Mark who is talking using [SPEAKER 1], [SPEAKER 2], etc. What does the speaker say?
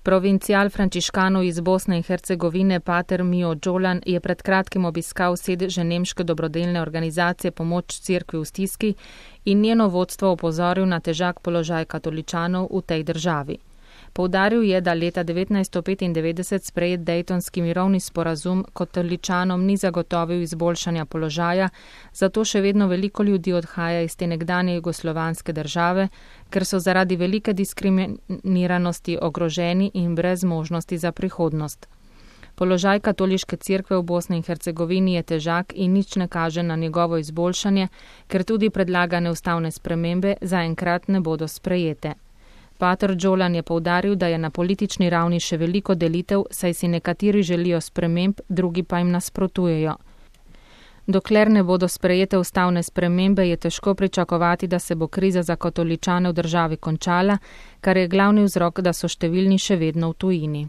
[SPEAKER 1] Provincial frančiškanov iz Bosne in Hercegovine pater Mio Džolan je pred kratkim obiskal sedež nemške dobrodelne organizacije Pomoč cerkvi v stiski in njeno vodstvo opozoril na težak položaj katoličanov v tej državi. Poudaril je, da leta 1995 sprejet Dejtonski mirovni sporazum katoličanom ni zagotovil izboljšanja položaja, zato še vedno veliko ljudi odhaja iz te nekdanje jugoslovanske države, ker so zaradi velike diskriminiranosti ogroženi in brez možnosti za prihodnost. Položaj katoliške cerkve v Bosni in Hercegovini je težak in nič ne kaže na njegovo izboljšanje, ker tudi predlagane ustavne spremembe zaenkrat ne bodo sprejete. Pater Džolan je poudaril, da je na politični ravni še veliko delitev, saj si nekateri želijo sprememb, drugi pa jim nasprotujejo. Dokler ne bodo sprejete ustavne spremembe, je težko pričakovati, da se bo kriza za katoličane v državi končala, kar je glavni vzrok, da so številni še vedno v tujini.